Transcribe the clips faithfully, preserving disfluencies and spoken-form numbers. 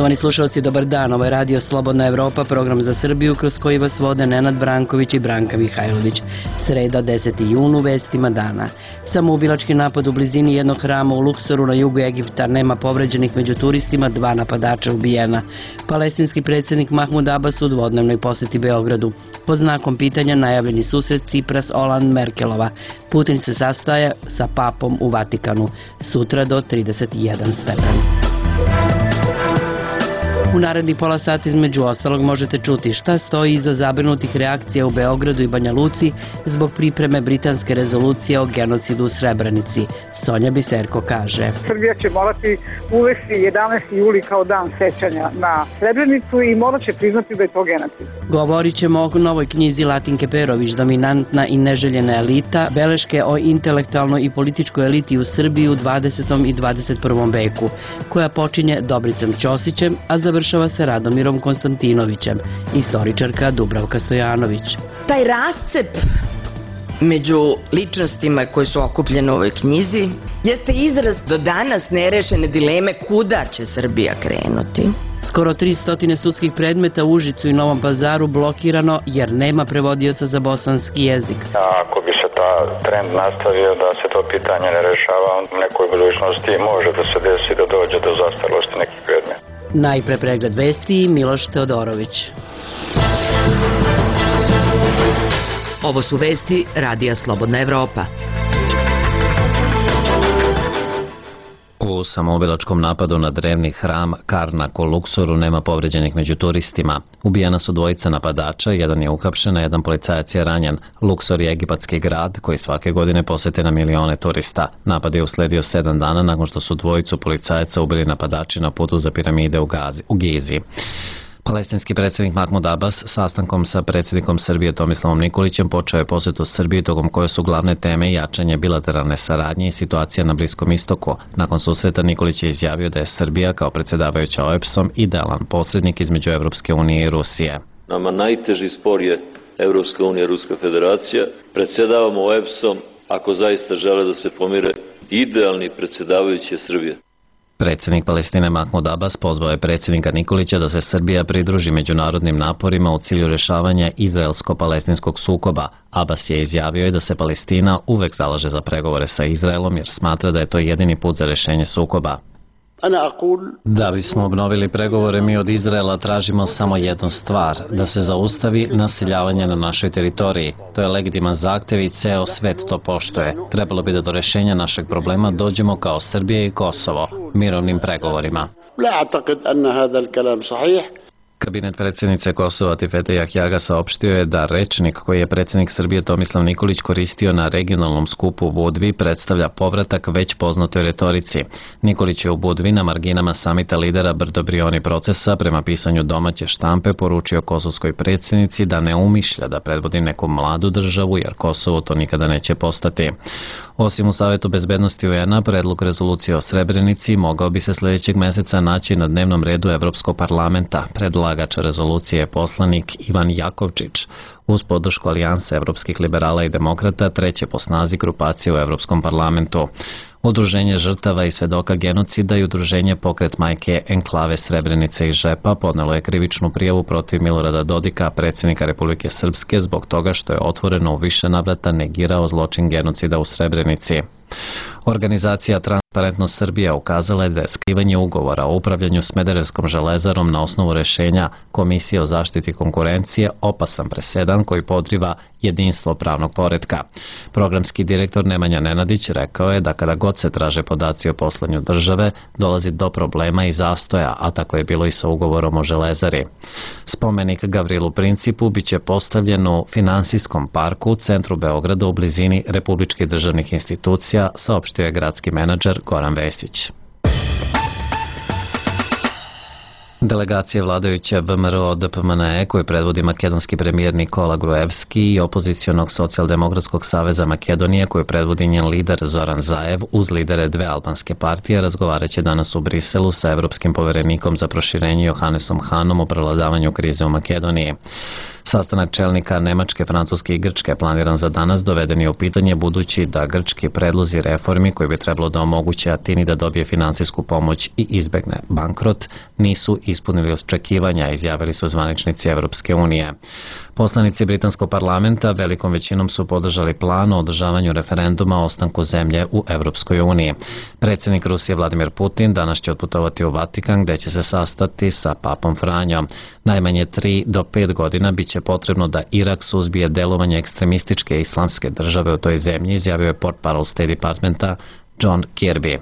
Poštovani slušalci, dobar dan. Ovo je Radio Slobodna Evropa, program za Srbiju kroz koji vas vode Nenad Branković i Branka Mihajlović. Sreda, deseti jun, u vestima dana. Samoubilački napad u blizini jednog hrama u Luksoru na jugu Egipta, nema povređenih među turistima, dva napadača ubijena. Palestinski predsjednik Mahmud Abbas u dvodnevnoj poseti Beogradu. Pod znakom pitanja najavljeni susret Cipras-Oland-Merkelova. Putin se sastaje sa papom u Vatikanu. Sutra do trideset jedan stepen. U narednih pola sata između ostalog možete čuti šta stoji iza zabrinutih reakcija u Beogradu i Banja Luci zbog pripreme britanske rezolucije o genocidu u Srebrenici. Sonja Biserko kaže: Srbija će morati uvesti jedanaesti juli kao dan sećanja na Srebrenicu i morat će priznati da je to genocid. Govorit ćemo o novoj knjizi Latinke Perović, Dominantna i neželjena elita, beleške o intelektualnoj i političkoj eliti u Srbiji u dvadesetom i dvadeset prvom veku, koja počinje Dobricom Ćosićem, a završava se Radomirom Konstantinovićem, istoričarka Dubravka Stojanović. Taj rascep među ličnostima koje su okupljene u ovoj knjizi jeste izraz do danas nerešene dileme kuda će Srbija krenuti. Skoro tristo sudskih predmeta u Užicu i Novom Pazaru blokirano jer nema prevodioca za bosanski jezik. Ako bi se ta trend nastavio da se to pitanje ne rešava, u nekoj budućnosti može da se desi da dođe do zastarelosti nekih predmeta. Najpre pregled vesti, Miloš Teodorović. Ovo su vesti Radija Slobodna Evropa. U samoubilačkom napadu na drevni hram Karnak u Luksoru nema povređenih među turistima. Ubijena su dvojica napadača, jedan je uhapšen, a jedan policajac je ranjen. Luksor je egipatski grad koji svake godine posete na milione turista. Napad je usledio sedam dana nakon što su dvojicu policajaca ubili napadači na putu za piramide u, Gazi, u Gizi. Palestinski predsjednik Mahmud Abbas sastankom sa predsjednikom Srbije Tomislavom Nikolićem počeo je posetu Srbiji tokom koje su glavne teme jačanje bilateralne saradnje i situacija na Bliskom istoku. Nakon susreta Nikolić je izjavio da je Srbija kao predsjedavajuća O E B S-om idealan posrednik između Evropske unije i Rusije. Nama najteži spor je Evropska unija i Ruska federacija. Predsjedavamo O E B S-om ako zaista žele da se pomire. Idealni predsjedavajući je Srbija. Predsjednik Palestine Mahmud Abbas pozvao je predsjednika Nikolića da se Srbija pridruži međunarodnim naporima u cilju rješavanja izraelsko-palestinskog sukoba. Abbas je izjavio i da se Palestina uvek zalaže za pregovore sa Izraelom jer smatra da je to jedini put za rješenje sukoba. Da bismo obnovili pregovore, mi od Izraela tražimo samo jednu stvar, da se zaustavi naseljavanje na našoj teritoriji. To je legitiman zahtjev i ceo svet to poštuje. Trebalo bi da do rješenja našeg problema dođemo kao Srbija i Kosovo, mirovnim pregovorima. Kabinet predsjednice Kosova Tifete Jahjaga saopštio je da rečnik koji je predsjednik Srbije Tomislav Nikolić koristio na regionalnom skupu u Budvi predstavlja povratak već poznatoj retorici. Nikolić je u Budvi na marginama samita lidera Brdo-Brioni procesa prema pisanju domaće štampe poručio kosovskoj predsjednici da ne umišlja da predvodi neku mladu državu jer Kosovo to nikada neće postati. Osim u Savetu bezbednosti U N-a, predlog rezolucije o Srebrenici mogao bi se sljedećeg mjeseca naći na dnevnom redu Evropskog parlamenta. Predlagač rezolucije je poslanik Ivan Jakovčić. Uz podršku Alijanse evropskih liberala i demokrata, treće po snazi grupacije u Evropskom parlamentu. Udruženje žrtava i svedoka genocida i udruženje Pokret majke Enklave Srebrenice i Žepa podnelo je krivičnu prijavu protiv Milorada Dodika, predsjednika Republike Srpske, zbog toga što je otvoreno u više navrata negirao zločin genocida u Srebrenici. Organizacija Transparentnost Srbija ukazala je da je skrivanje ugovora o upravljanju Smederevskom železarom na osnovu rješenja Komisije o zaštiti konkurencije opasan presedan koji podriva jedinstvo pravnog poretka. Programski direktor Nemanja Nenadić rekao je da kada god se traže podaci o poslanju države, dolazi do problema i zastoja, a tako je bilo i sa ugovorom o železari. Spomenik Gavrilu Principu biće postavljen u Finansijskom parku u centru Beograda u blizini republičkih državnih institucija, saopštio je gradski menadžer Goran Vesić. Delegacije vladajuće V M R O D P M N E koju predvodi makedonski premijer Nikola Gruevski i opozicionog socijaldemokratskog saveza Makedonije koju predvodi njen lider Zoran Zaev uz lidere dve albanske partije razgovarat će danas u Briselu sa evropskim poverenikom za proširenje Johannesom Hanom o prevladavanju krize u Makedoniji. Sastanak čelnika Nemačke, Francuske i Grčke planiran za danas doveden je u pitanje budući da grčki predlozi reformi koji bi trebalo da omoguće Atini da dobije finansijsku pomoć i izbegne bankrot nisu ispunili očekivanja, izjavili su zvaničnici Evropske unije. Poslanici britanskog parlamenta velikom većinom su podržali plan o održavanju referenduma o ostanku zemlje u Evropskoj uniji. Predsjednik Rusije Vladimir Putin danas će otputovati u Vatikan gdje će se sastati sa papom Franjom. Najmanje tri do pet godina bit će potrebno da Irak suzbije delovanje ekstremističke islamske države u toj zemlji, izjavio je portparol State Departmenta John Kirby.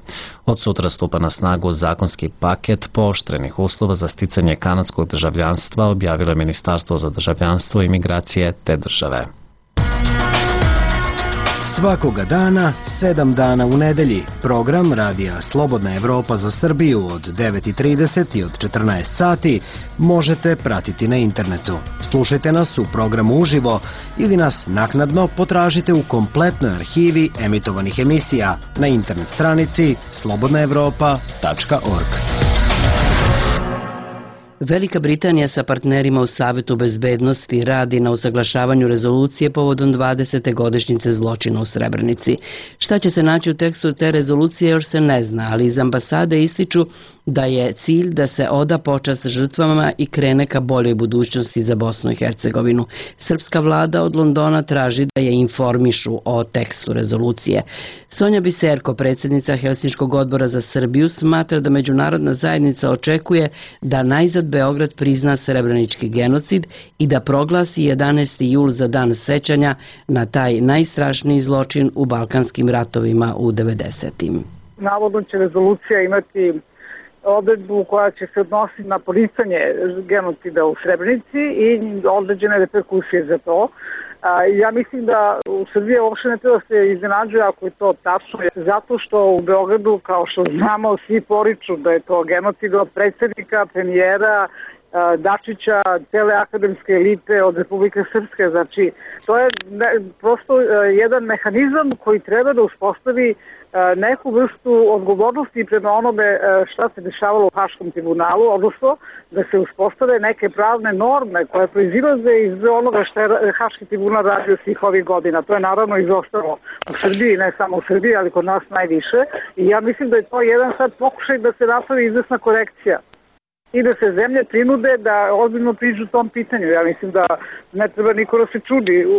Od sutra stupa na snagu zakonski paket pooštrenih uslova za sticanje kanadskog državljanstva, objavilo je Ministarstvo za državljanstvo i migracije te države. Svakoga dana, sedam dana u nedelji, program Radija Slobodna Evropa za Srbiju od devet i trideset i od četrnaest sati možete pratiti na internetu. Slušajte nas u programu uživo ili nas naknadno potražite u kompletnoj arhivi emitovanih emisija na internet stranici slobodna evropa tačka org. Velika Britanija sa partnerima u Savetu bezbednosti radi na usaglašavanju rezolucije povodom dvadesete godišnjice zločina u Srebrenici. Šta će se naći u tekstu te rezolucije još se ne zna, ali iz ambasade ističu da je cilj da se oda počast žrtvama i krene ka boljoj budućnosti za Bosnu i Hercegovinu. Srpska vlada od Londona traži da je informišu o tekstu rezolucije. Sonja Biserko, predsjednica Helsinškog odbora za Srbiju, smatra da međunarodna zajednica očekuje da najzad Beograd prizna srebrenički genocid i da proglasi jedanaesti jul za dan sećanja na taj najstrašniji zločin u balkanskim ratovima u devedesetim. Navodno će rezolucija imati odredbu koja će se odnositi na poricanje genocida u Srebrenici i određene reperkusije za to. Ja mislim da u Srbiji uopšte ne treba se iznenađuje ako je to tačno, zato što u Beogradu, kao što znamo, svi poriču da je to genocid od predsjednika, premijera, Dačića, cele akademske elite od Republike Srpske. Znači, to je prosto jedan mehanizam koji treba da uspostavi neku vrstu odgovornosti prema onome šta se dešavalo u Haškom tribunalu, odnosno da se uspostave neke pravne norme koje proizilaze iz onoga što je Haški tribunal radio svih ovih godina. To je naravno izostalo u Srbiji, ne samo u Srbiji, ali kod nas najviše. I ja mislim da je to jedan sad pokušaj da se napravi izvesna korekcija i da se zemlje prinude da ozbiljno priđu tom pitanju. Ja mislim da ne treba niko da se čudi u,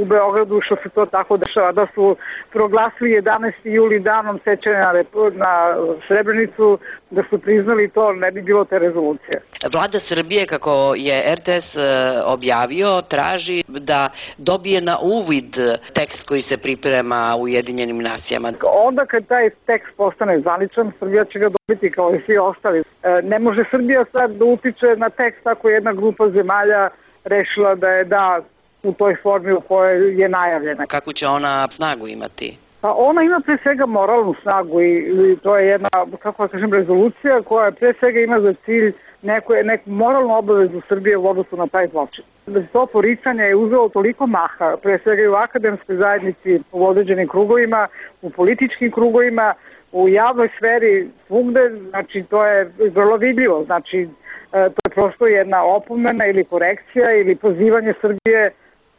u Beogradu što se to tako dešava, da su proglasili jedanaesti juli danom sećanja na, na Srebrenicu, da su priznali to, ne bi bilo te rezolucije. Vlada Srbije, kako je er te es objavio, traži da dobije na uvid tekst koji se priprema u Ujedinjenim nacijama. Onda kad taj tekst postane zvaničan, Srbija će ga dobiti kao i svi ostali. Ne može Srbija sad da utiče na tekst ako je jedna grupa zemalja rešila da je da u toj formi u kojoj je najavljena. Kako će ona snagu imati? Pa ona ima pre svega moralnu snagu i, i to je jedna, kako da kažem, rezolucija koja pre svega ima za cilj neku, neku moralnu obavezu Srbije u odnosu na taj zločin. To poricanje je uzelo toliko maha, pre svega i u akademskoj zajednici, u određenim krugovima, u političkim krugovima, u javnoj sferi, svugde, znači to je vrlo vidljivo, znači to je prosto jedna opomena ili korekcija ili pozivanje Srbije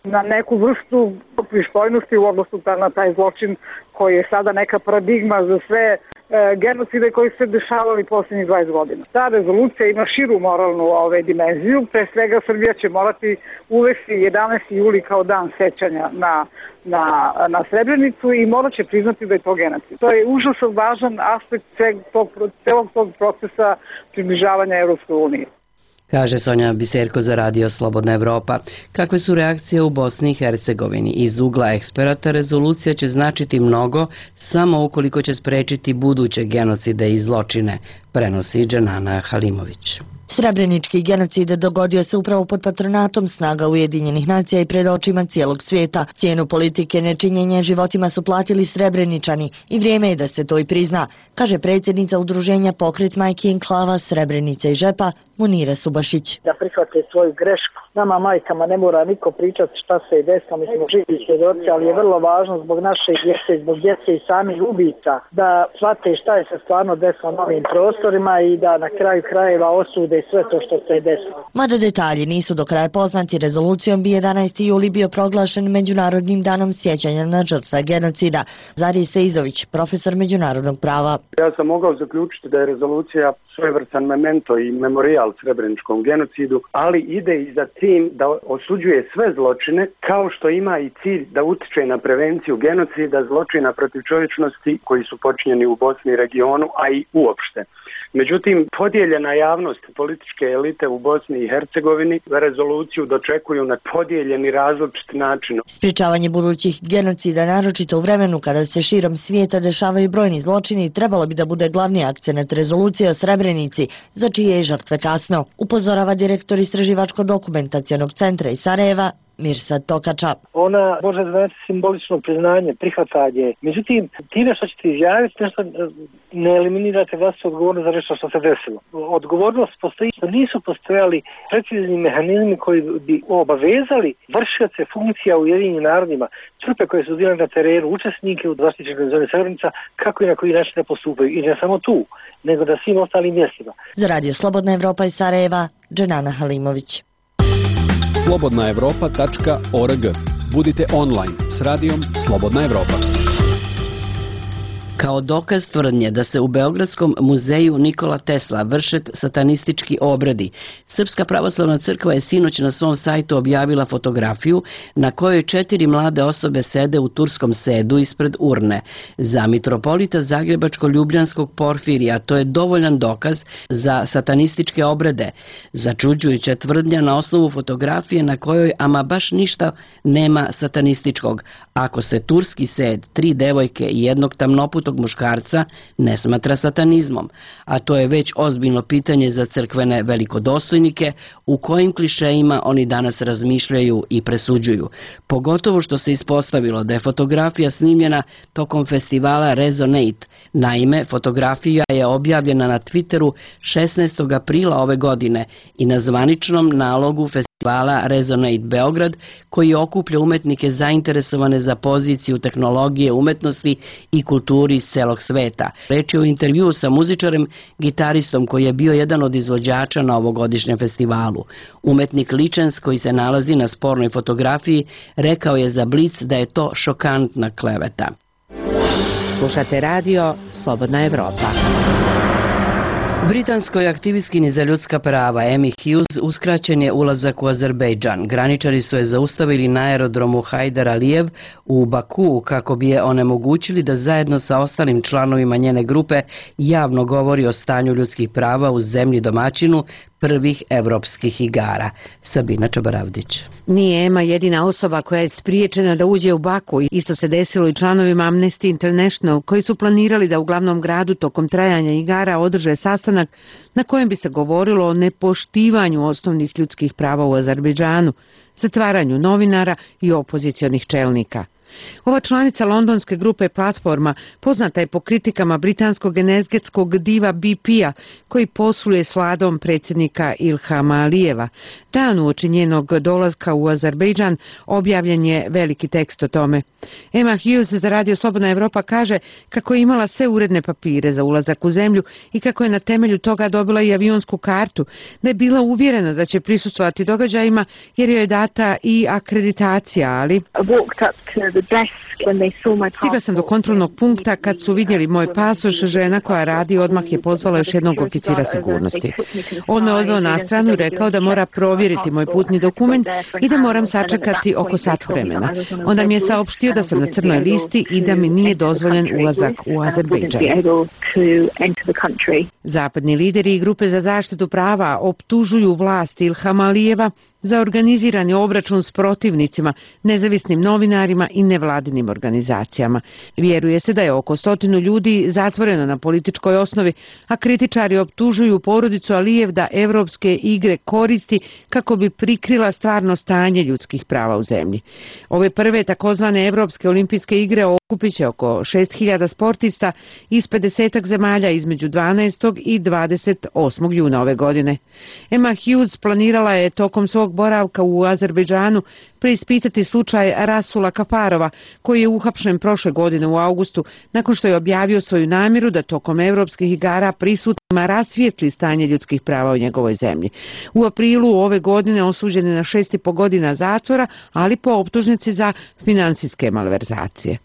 na neku vrstu pristojnosti u odnosu na taj zločin koji je sada neka paradigma za sve e, genocide koji se dešavali posljednjih dvadeset godina. Ta rezolucija ima širu moralnu ove, dimenziju, pre svega Srbija će morati uvesti jedanaesti juli kao dan sećanja na, na, na Srebrenicu i morat će priznati da je to genocid. To je užasno važan aspekt tog, celog tog procesa približavanja Evropskoj uniji. Kaže Sonja Biserko za Radio Slobodna Evropa. Kakve su reakcije u Bosni i Hercegovini? Iz ugla eksperata rezolucija će značiti mnogo samo ukoliko će sprečiti buduće genocide i zločine, prenosi Dženana Halimović. Srebrenički genocid dogodio se upravo pod patronatom snaga Ujedinjenih nacija i pred očima cijelog svijeta. Cijenu politike nečinjenja životima su platili Srebreničani i vrijeme je da se to i prizna, kaže predsjednica udruženja Pokret majki enklava Srebrenica i Žepa Munira Subotić. Ljubašić. Da prihvate svoju grešku. Nama majkama ne mora niko pričati šta se je desilo, mi smo živi svjedoci, ali je vrlo važno zbog naše djece, zbog djece i samih ubica, da shvate šta je se stvarno desilo na ovim prostorima i da na kraju krajeva osude sve to što se je desilo. Mada detalji nisu do kraja poznati, rezolucijom bi jedanaesti juli bio proglašen Međunarodnim danom sjećanja na žrtve genocida. Zari Seizović, profesor međunarodnog prava. Ja sam mogao zaključiti da je rezolucija svojevrstan memento i memorijal srebreničkom genocidu, ali ide i za tim da osuđuje sve zločine, kao što ima i cilj da utiče na prevenciju genocida, zločina protiv čovječnosti koji su počinjeni u Bosni i regionu, a i uopšte. Međutim, podijeljena javnost i političke elite u Bosni i Hercegovini rezoluciju dočekuju na podijeljeni različit način. Sprječavanje budućih genocida, naročito u vremenu kada se širom svijeta dešavaju brojni zločini, trebalo bi da bude glavni akcenat rezolucije o Srebrenici, za čije je žrtve kasno, upozorava direktor Istraživačko-dokumentacionog centra iz Sarajeva, Mirsad Tokača. Ona može znači simbolično priznanje, prihvatanje. Međutim, time što ćete izjaviti nešto, ne eliminirate vlastitu odgovornost za nešto što se desilo. Odgovornost postoji, što nisu postojali precizni mehanizmi koji bi obavezali vršioce funkcija u Ujedinjenim narodima, trupe koje su bile na terenu, učesnike u zaštićenoj zoni Srebrenica, kako i na koji način da postupaju. I ne samo tu, nego da svim ostalim mjestima. Za Radio Slobodna Evropa iz Sarajeva, Dženana Halimović. slobodna evropa tačka org. Budite online s radijom Slobodna Evropa. Kao dokaz tvrdnje da se u Beogradskom muzeju Nikola Tesla vrše satanistički obredi, Srpska pravoslavna crkva je sinoć na svom sajtu objavila fotografiju na kojoj četiri mlade osobe sede u turskom sedu ispred urne. Za mitropolita Zagrebačko-Ljubljanskog Porfirija to je dovoljan dokaz za satanističke obrede. Začuđujuća tvrdnja na osnovu fotografije na kojoj ama baš ništa nema satanističkog. Ako se turski sed, tri devojke i jednog tamnoputog muškarca ne smatra satanizmom, a to je već ozbiljno pitanje za crkvene velikodostojnike u kojim klišejima oni danas razmišljaju i presuđuju. Pogotovo što se ispostavilo da je fotografija snimljena tokom festivala Resonate. Naime, fotografija je objavljena na Twitteru šesnaestog aprila ove godine i na zvaničnom nalogu festivala Resonate Beograd, koji okuplja umetnike zainteresovane za poziciju tehnologije, umetnosti i kulturi iz celog sveta. Reč je o intervjuu sa muzičarem, gitaristom koji je bio jedan od izvođača na ovogodišnjem festivalu. Umetnik Ličens, koji se nalazi na spornoj fotografiji, rekao je za Blic da je to šokantna kleveta. Slušate radio Slobodna Evropa. Britanskoj aktivistkinji za ljudska prava Amy Hughes uskraćen je ulazak u Azerbejdžan. Graničari su je zaustavili na aerodromu Hajdar Alijev u Bakuu kako bi je onemogućili da zajedno sa ostalim članovima njene grupe javno govori o stanju ljudskih prava u zemlji domaćinu prvih evropskih igara. Sabina Čabaravdić. Nije Ema jedina osoba koja je spriječena da uđe u Baku. Isto se desilo i članovima Amnesty International, koji su planirali da u glavnom gradu tokom trajanja igara održe sastanak na kojem bi se govorilo o nepoštivanju osnovnih ljudskih prava u Azerbejdžanu, zatvaranju novinara i opozicionih čelnika. Ova članica londonske grupe Platforma poznata je po kritikama britanskog energetskog diva B P-a koji posluje s vladom predsjednika Ilhama Alijeva. Dan uoči njenog dolaska u Azerbejdžan objavljen je veliki tekst o tome. Emma Hughes za Radio Slobodna Evropa kaže kako je imala sve uredne papire za ulazak u zemlju i kako je na temelju toga dobila i avionsku kartu, da je bila uvjerena da će prisustvovati događajima jer joj je data i akreditacija, ali... Stigla sam do kontrolnog punkta kad su vidjeli moj pasoš, žena koja radi odmah je pozvala još jednog oficira sigurnosti. On me odveo na stranu i rekao da mora provjeriti moj putni dokument i da moram sačekati oko sat vremena. Onda mi je saopštio da sam na crnoj listi i da mi nije dozvoljen ulazak u Azerbejdžan. Zapadni lideri i grupe za zaštitu prava optužuju vlast Ilhama Alijeva za organizirani obračun s protivnicima, nezavisnim novinarima i nevladinim organizacijama. Vjeruje se da je oko stotinu ljudi zatvoreno na političkoj osnovi, a kritičari optužuju porodicu Alijev da evropske igre koristi kako bi prikrila stvarno stanje ljudskih prava u zemlji. Ove prve takozvane evropske olimpijske igre okupit će oko šest hiljada sportista iz pedesetak zemalja između dvanaestog i dvadeset osmog juna ove godine. Emma Hughes planirala je tokom svog boravka u Azerbejdžanu preispitati slučaj Rasula Kafarova, koji je uhapšen prošle godine u augustu nakon što je objavio svoju namjeru da tokom evropskih igara prisutnima rasvijetli stanje ljudskih prava u njegovoj zemlji. U aprilu ove godine osuđen je na šest i po godina zatvora, ali po optužnici za finansijske malverzacije.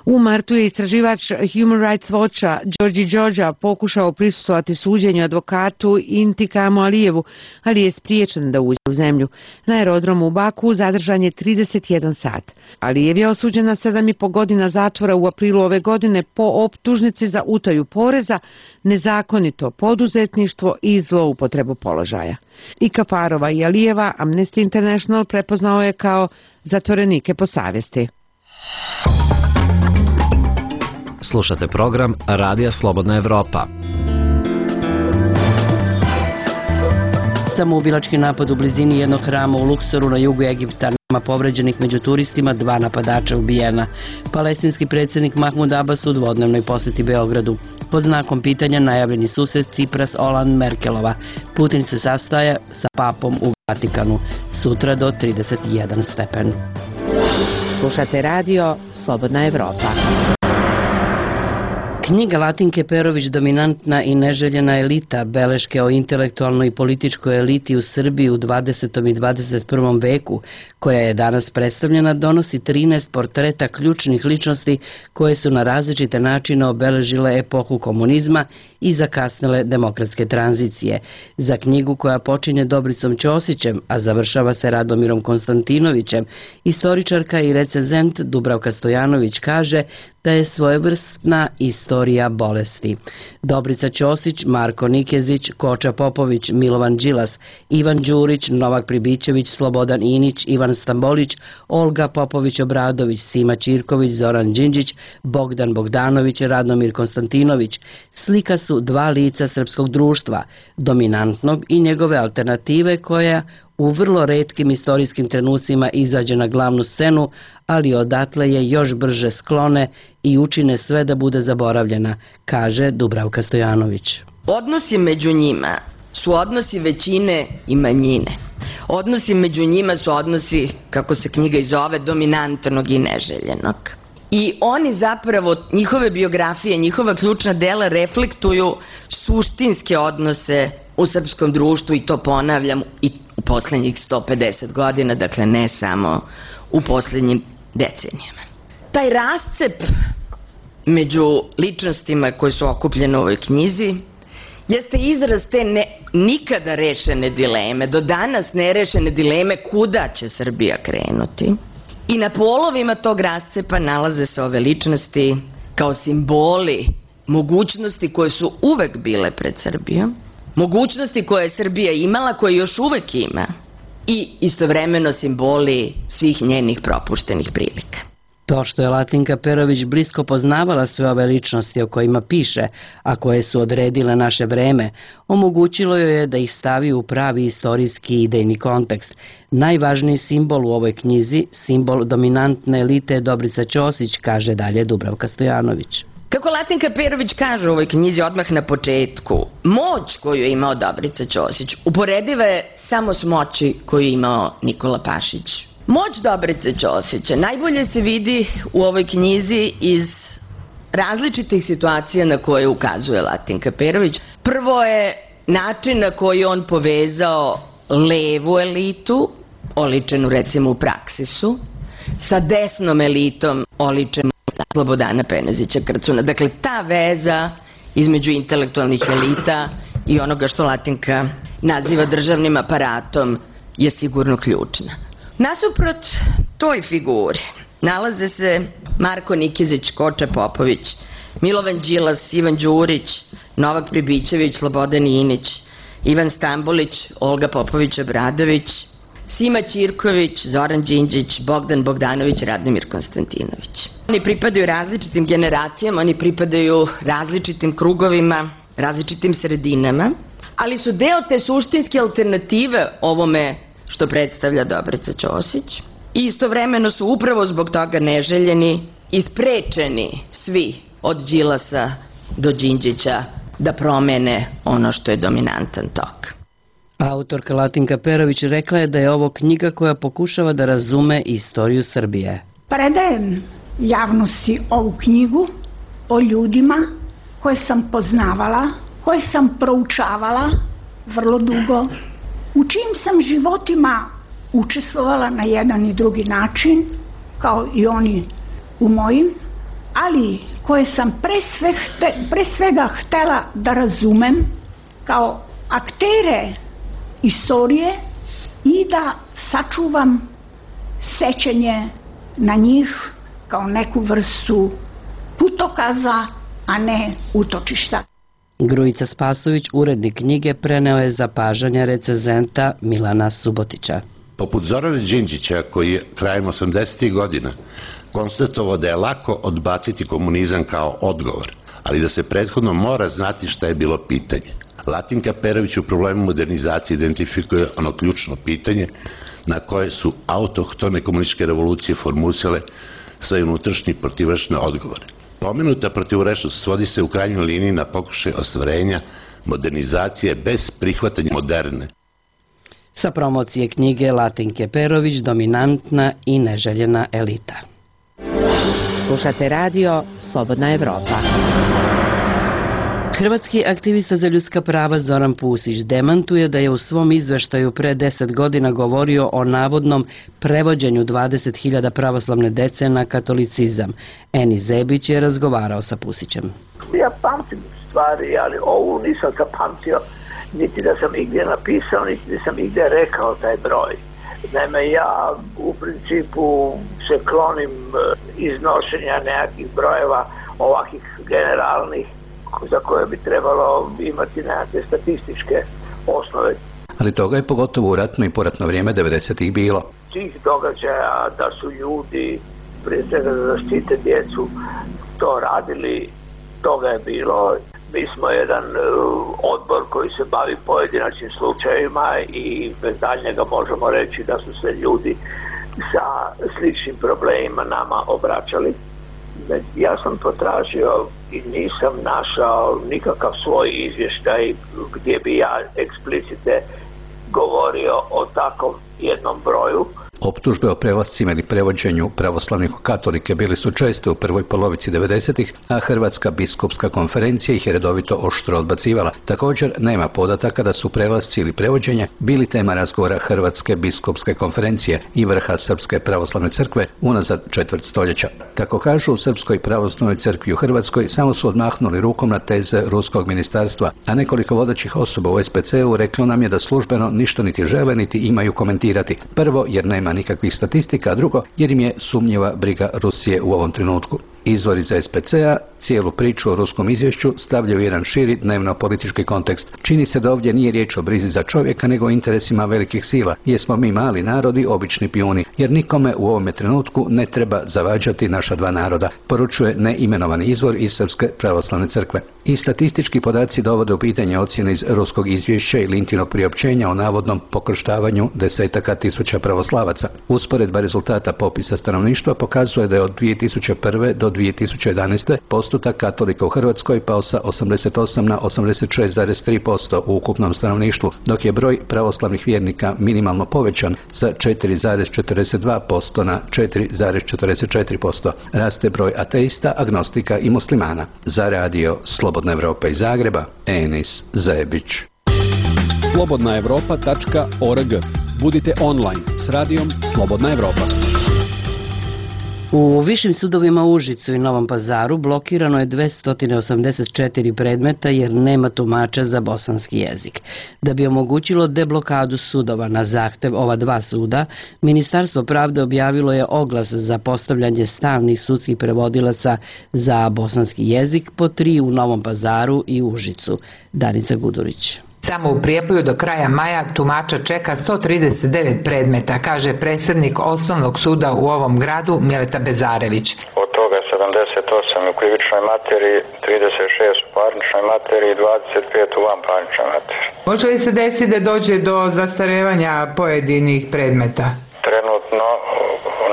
U martu je istraživač Human Rights Watcha Đorđi Đođa pokušao prisustvovati suđenju advokatu Intikamu Alijevu, ali je spriječen da uđe u zemlju. Na aerodromu u Baku zadržan je trideset jedan sat. Alijev je osuđen na sedam i po godina zatvora u aprilu ove godine po optužnici za utaju poreza, nezakonito poduzetništvo i zloupotrebu položaja. I Kafarova i Alijeva Amnesty International prepoznao je kao zatvorenike po savjesti. Slušate program Radija Slobodna Evropa. Samoubilački napad u blizini jednog hrama u Luksoru na jugu Egipta, nema povređenih među turistima, dva napadača ubijena. Palestinski predsjednik Mahmud Abbas u dvodnevnoj posjeti Beogradu. Pod znakom pitanja najavljeni susret Cipras Olan Merkelova. Putin se sastaje sa papom u Vatikanu. Sutra do trideset jedan stepen. Slušate radio Slobodna Evropa. Knjiga Latinke Perović Dominantna i neželjena elita, beleške o intelektualnoj i političkoj eliti u Srbiji u dvadesetom i dvadeset prvom veku, koja je danas predstavljena, donosi trinaest portreta ključnih ličnosti koje su na različite načine obeležile epohu komunizma i zakasnele demokratske tranzicije. Za knjigu koja počinje Dobricom Ćosićem, a završava se Radomirom Konstantinovićem, istoričarka i recenzent Dubravka Stojanović kaže da je svojevrsna istorija bolesti. Dobrica Ćosić, Marko Nikezić, Koča Popović, Milovan Đilas, Ivan Đurić, Novak Pribićević, Slobodan Inić, Ivan Stambolić, Olga Popović-Obradović, Sima Ćirković, Zoran Đinđić, Bogdan Bogdanović, Radomir Konstantinović slika su dva lica srpskog društva, dominantnog i njegove alternative koja u vrlo retkim istorijskim trenucima izađe na glavnu scenu, ali odatle je još brže sklone i učine sve da bude zaboravljena, kaže Dubravka Stojanović. Odnosi među njima su odnosi većine i manjine. Odnosi među njima su odnosi, kako se knjiga i zove, dominantnog i neželjenog. I oni zapravo, njihove biografije, njihova ključna dela reflektuju suštinske odnose u srpskom društvu, i to ponavljam i u poslednjih sto pedeset godina, dakle ne samo u poslednjim decenijama. Taj rascep među ličnostima koje su okupljene u ovoj knjizi jeste izraz te ne, nikada rešene dileme, do danas nerešene dileme kuda će Srbija krenuti. I na polovima tog rascepa nalaze se ove ličnosti kao simboli mogućnosti koje su uvek bile pred Srbijom, mogućnosti koje je Srbija imala, koje još uvek ima, i istovremeno simboli svih njenih propuštenih prilika. To što je Latinka Perović blisko poznavala sve ove ličnosti o kojima piše, a koje su odredile naše vreme, omogućilo joj je da ih stavi u pravi istorijski idejni kontekst. Najvažniji simbol u ovoj knjizi, simbol dominantne elite, je Dobrica Ćosić, kaže dalje Dubravka Stojanović. Kako Latinka Perović kaže u ovoj knjizi odmah na početku, moć koju je imao Dobrica Ćosić uporediva je samo s moći koju je imao Nikola Pašić. Moć Dobrice Ćosića najbolje se vidi u ovoj knjizi iz različitih situacija na koje ukazuje Latinka Perović. Prvo je način na koji on povezao levu elitu, oličenu recimo u Praksisu, sa desnom elitom, oličenu Slobodana Penezića Krcuna. Dakle, ta veza između intelektualnih elita i onoga što Latinka naziva državnim aparatom je sigurno ključna. Nasuprot toj figuri nalaze se Marko Nikezić, Koča Popović, Milovan Đilas, Ivan Đurić, Novak Pribićević, Slobodan Inić, Ivan Stambolić, Olga Popović-Obradović, Sima Ćirković, Zoran Đinđić, Bogdan Bogdanović, Radomir Konstantinović. Oni pripadaju različitim generacijama, oni pripadaju različitim krugovima, različitim sredinama, ali su deo te suštinske alternative ovome što predstavlja Dobrica Ćosić i istovremeno su upravo zbog toga neželjeni i sprečeni svi od Đilasa do Đinđića da promene ono što je dominantan tok. Autorka Latinka Perović rekla je da je ovo knjiga koja pokušava da razume istoriju Srbije. Predajem javnosti ovu knjigu o ljudima koje sam poznavala, koje sam proučavala vrlo dugo, u čijim sam životima učestvovala na jedan i drugi način, kao i oni u mojim, ali koje sam pre, sve hte, pre svega htela da razumem kao aktere istorije i da sačuvam sećanje na njih kao neku vrstu putokaza, a ne utočišta. Grujica Spasović, urednik knjige, preneo je zapažanja recenzenta Milana Subotića. Poput Zorana Đinđića, koji je krajem osamdesetih godina konstatovao da je lako odbaciti komunizam kao odgovor, ali da se prethodno mora znati šta je bilo pitanje. Latinka Perović u problemu modernizacije identifikuje ono ključno pitanje na koje su autohtone komunističke revolucije formulisale svoje unutrašnje protivračne odgovore. Pomenuta protivrečnost svodi se u krajnjoj liniji na pokušaj ostvarenja modernizacije bez prihvatanja moderne. Sa promocije knjige Latinke Perović, dominantna i neželjena elita. Slušate radio Slobodna Evropa. Hrvatski aktivista za ljudska prava Zoran Pusić demantuje da je u svom izveštaju pre deset godina govorio o navodnom prevođenju dvadeset hiljada pravoslavne dece na katolicizam. Eni Zebić je razgovarao sa Pusićem. Ja pamtim stvari, ali ovu nisam zapamtio, niti da sam igdje napisao, niti da sam igdje rekao taj broj. Naime, ja u principu se klonim iznošenja nekakvih brojeva ovakvih generalnih za koje bi trebalo imati nekakve statističke osnove. Ali toga je pogotovo u ratno i poratno vrijeme devedesetih bilo. Tih događaja da su ljudi, prije svega da zaštite djecu, to radili, toga je bilo. Mi smo jedan odbor koji se bavi pojedinačnim slučajevima i bez daljnjega možemo reći da su se ljudi sa sličnim problemima nama obraćali. Ja sam potražio i nisam našao nikakav svoj izvještaj gdje bi ja eksplicite govorio o takvom jednom broju. Optužbe o prelascima ili prevođenju pravoslavnih u katolike bili su česte u prvoj polovici devedesetih, a Hrvatska biskupska konferencija ih je redovito oštro odbacivala. Također nema podataka da su prelasci ili prevođenje bili tema razgovora Hrvatske biskupske konferencije i vrha Srpske pravoslavne crkve unazad četvrt stoljeća. Kako kažu u Srpskoj pravoslavnoj crkvi u Hrvatskoj, samo su odmahnuli rukom na teze ruskog ministarstva, a nekoliko vodećih osoba u es pe ce u reklo nam je da službeno ništa niti žele niti imaju komentirati. Prvo, jer nema nikakvih statistika, a drugo, jer im je sumnjiva briga Rusije u ovom trenutku. Izvori za es pe ce a cijelu priču o ruskom izvješću stavljaju jedan širi dnevno-politički kontekst. Čini se da ovdje nije riječ o brizi za čovjeka, nego o interesima velikih sila, jer smo mi mali narodi, obični pijuni, jer nikome u ovome trenutku ne treba zavađati naša dva naroda, poručuje neimenovani izvor iz Srpske pravoslavne crkve. I statistički podaci dovode u pitanje ocjene iz ruskog izvješća i Lintinog priopćenja o navodnom pokrštavanju desetaka tisuća pravoslavaca. Usporedba rezultata popisa stanovništva pokazuje da je od dvije tisuće prve do dvije tisuće jedanaeste postotak katolika u Hrvatskoj pao sa osamdeset osam na osamdeset šest zarez tri posto u ukupnom stanovništvu, dok je broj pravoslavnih vjernika minimalno povećan sa četiri zarez četrdeset dva posto na četiri zarez četrdeset četiri posto. Raste broj ateista, agnostika i muslimana. Za radio Slobodna Evropa iz Zagreba, Enis Zebić. slobodna evropa tačka org. Budite online s radijom Slobodna Evropa. U višim sudovima u Užicu i Novom Pazaru blokirano je dvesta osamdeset četiri predmeta jer nema tumača za bosanski jezik. Da bi omogućilo deblokadu sudova na zahtev ova dva suda, Ministarstvo pravde objavilo je oglas za postavljanje stalnih sudskih prevodilaca za bosanski jezik po tri u Novom Pazaru i Užicu. Danica Gudurić. Samo u Prijepolju do kraja maja tumača čeka sto trideset devet predmeta, kaže predsjednik Osnovnog suda u ovom gradu Mileta Bezarević. Od toga sedamdeset osam u krivičnoj materiji, trideset šest u parničnoj materiji i dvadeset pet u vanparničnoj materiji. Može li se desiti da dođe do zastarevanja pojedinih predmeta? Trenutno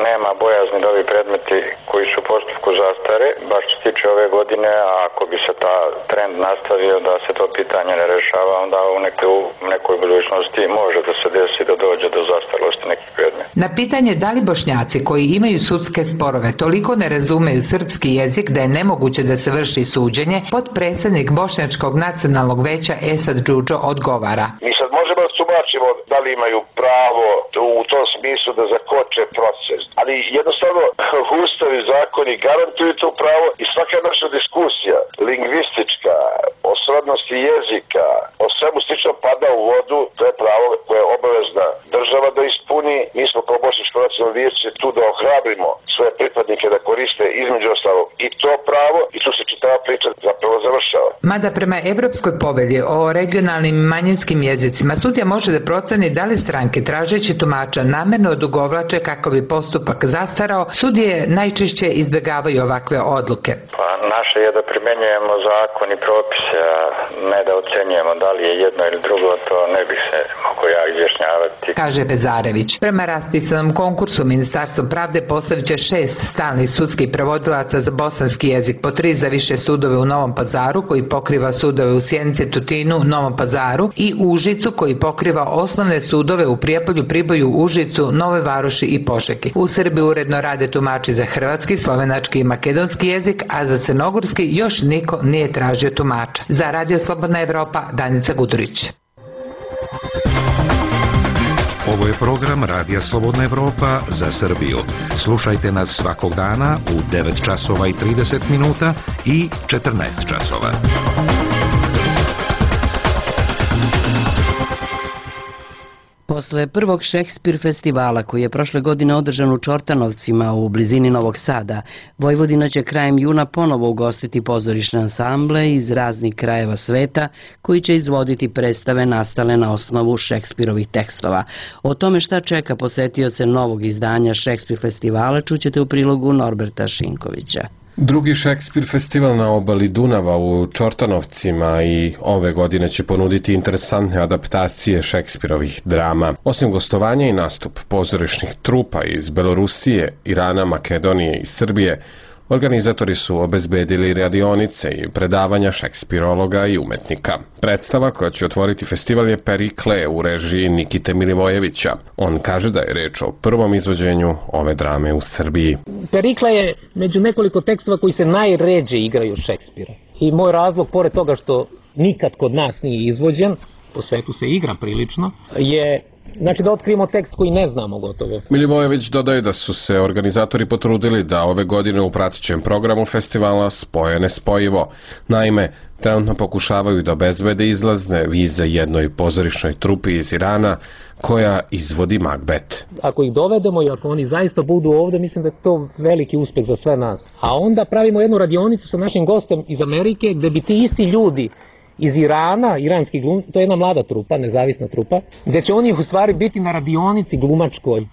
nema bojazni da ovi predmeti koji su u postupku zastare, baš što se tiče ove godine, a ako bi se ta trend nastavio da se to pitanje ne rešava, onda u nekoj, u nekoj budućnosti može da se desi da dođe do zastarelosti nekih predmeta. Na pitanje da li Bošnjaci koji imaju sudske sporove toliko ne razumeju srpski jezik da je nemoguće da se vrši suđenje, potpredsjednik Bošnjačkog nacionalnog veća Esad Džudžo odgovara. Mi sad možemo da tumačimo da li imaju pravo u tom smislu da zakoče proces, ali jednostavno ustav i zakoni garantuju to pravo i svaka naša diskusija lingvistička o srodnosti jezika, o svemu slično pada u vodu. To je pravo koje je obavezna država da ispuni. Mi smo kao Bošnjačko nacionalno vijeće tu da ohrabrimo svoje pripadnike da koriste između ostalog i to pravo i tu se čitava priča zapravo završava. Mada prema Evropskoj povelji o regionalnim manjinskim jezicima sudija može da proceni da li stranke tražeći tumača namerno odugovlače kako bi postupak zastarao, sudije najčešće izbjegavaju ovakve odluke. Pa naše je da primenjujemo zakon i propise, a ne da ocenjujemo da li je jedno ili drugo, to ne bih se mogo ja izjašnjavati. Kaže Bezarević. Prema raspisanom konkursu Ministarstvo pravde postavit će šest stalnih sudskih prevodilaca za bosanski jezik, po tri za više sudove u Novom Pazaru koji pokriva sudove u Sjenici, Tutinu, Novom Pazaru i Užicu koji pokriva osnovne sudove u Prijepolju, Priboju, Užicu, Nove Varoši i Požegi. U Srbiji uredno rade tumači za hrvatski, slovenački i makedonski jezik, a za crnogorski još niko nije tražio tumača. Za Radio Slobodna Evropa, Danica Gudurić. Ovo je program Radija Slobodna Evropa za Srbiju. Slušajte nas svakog dana u devet časova i trideset minuta i četrnaest časova. Posle prvog Šekspir festivala koji je prošle godine održan u Čortanovcima u blizini Novog Sada, Vojvodina će krajem juna ponovo ugostiti pozorišne ansamble iz raznih krajeva sveta koji će izvoditi predstave nastale na osnovu Šekspirovih tekstova. O tome šta čeka posetioce novog izdanja Šekspir festivala čućete u prilogu Norberta Šinkovića. Drugi Šekspir festival na obali Dunava u Čortanovcima i ove godine će ponuditi interesantne adaptacije Šekspirovih drama. Osim gostovanja i nastup pozorišnih trupa iz Belorusije, Irana, Makedonije i Srbije, organizatori su obezbedili radionice i predavanja šekspirologa i umetnika. Predstava koja će otvoriti festival je Perikle u režiji Nikite Milivojevića. On kaže da je reč o prvom izvođenju ove drame u Srbiji. Perikle je među nekoliko tekstova koji se najređe igraju Šekspira. I moj razlog, pored toga što nikad kod nas nije izvođen, po svetu se igra prilično, je znači da otkrijemo tekst koji ne znamo gotovo. Milivojević dodaje da su se organizatori potrudili da ove godine u pratećem programu festivala spoje nespojivo. Naime, trenutno pokušavaju da obezbede izlazne vize jednoj pozorišnoj trupi iz Irana koja izvodi Macbeth. Ako ih dovedemo i ako oni zaista budu ovde, mislim da je to veliki uspeh za sve nas. A onda pravimo jednu radionicu sa našim gostem iz Amerike gde bi ti isti ljudi iz Irana, iranski glum, to je jedna mlada trupa, nezavisna trupa, gde će oni u stvari biti na radionici glumačkoj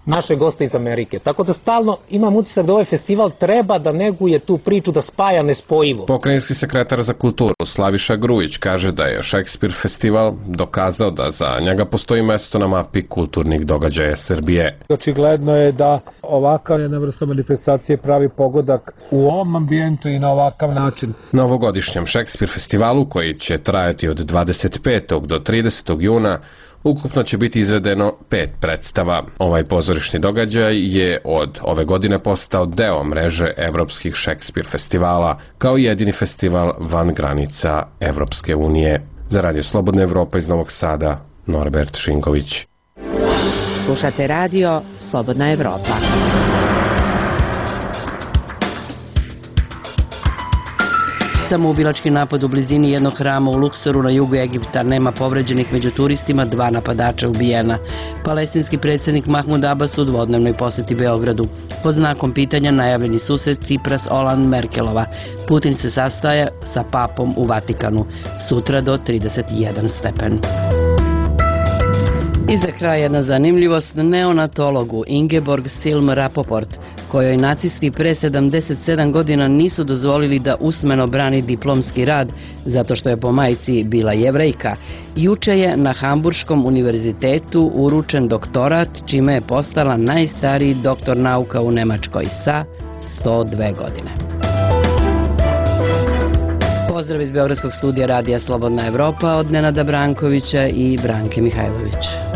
naše goste iz Amerike. Tako da stalno imam utisak da ovaj festival treba da neguje tu priču, da spaja nespojivo. Pokrajinski sekretar za kulturu Slaviša Grujić kaže da je Šekspir festival dokazao da za njega postoji mesto na mapi kulturnih događaja Srbije. Očigledno je da ovakav jedna vrsta manifestacije pravi pogodak u ovom ambijentu i na ovakav način. Na ovogodišnjem Šekspir festivalu koji će trajati od dvadeset petog do tridesetog juna ukupno će biti izvedeno pet predstava. Ovaj pozorišni događaj je od ove godine postao deo mreže evropskih Šekspir festivala, kao jedini festival van granica Evropske unije. Za Radio Slobodna Evropa iz Novog Sada, Norbert Šinković. Slušate Radio Slobodna Evropa. Samoubilački napad u blizini jednog hrama u Luksoru na jugu Egipta, nema povređenih među turistima, dva napadača ubijena. Palestinski predsjednik Mahmud Abbas u dvodnevnoj posjeti Beogradu. Pod znakom pitanja najavljeni susret Cipras Olan Merkelova. Putin se sastaje sa papom u Vatikanu. Sutra do trideset jedan stepen. I za kraj jedna zanimljivost, neonatologu Ingeborg Silm Rapoport, kojoj nacisti pre sedamdeset sedam godina nisu dozvolili da usmeno brani diplomski rad zato što je po majci bila Jevrejka, juče je na Hamburškom univerzitetu uručen doktorat, čime je postala najstariji doktor nauka u Nemačkoj sa sto dve godine. Pozdrav iz Beogradskog studija Radija Slobodna Evropa od Nenada Brankovića i Branke Mihajlović.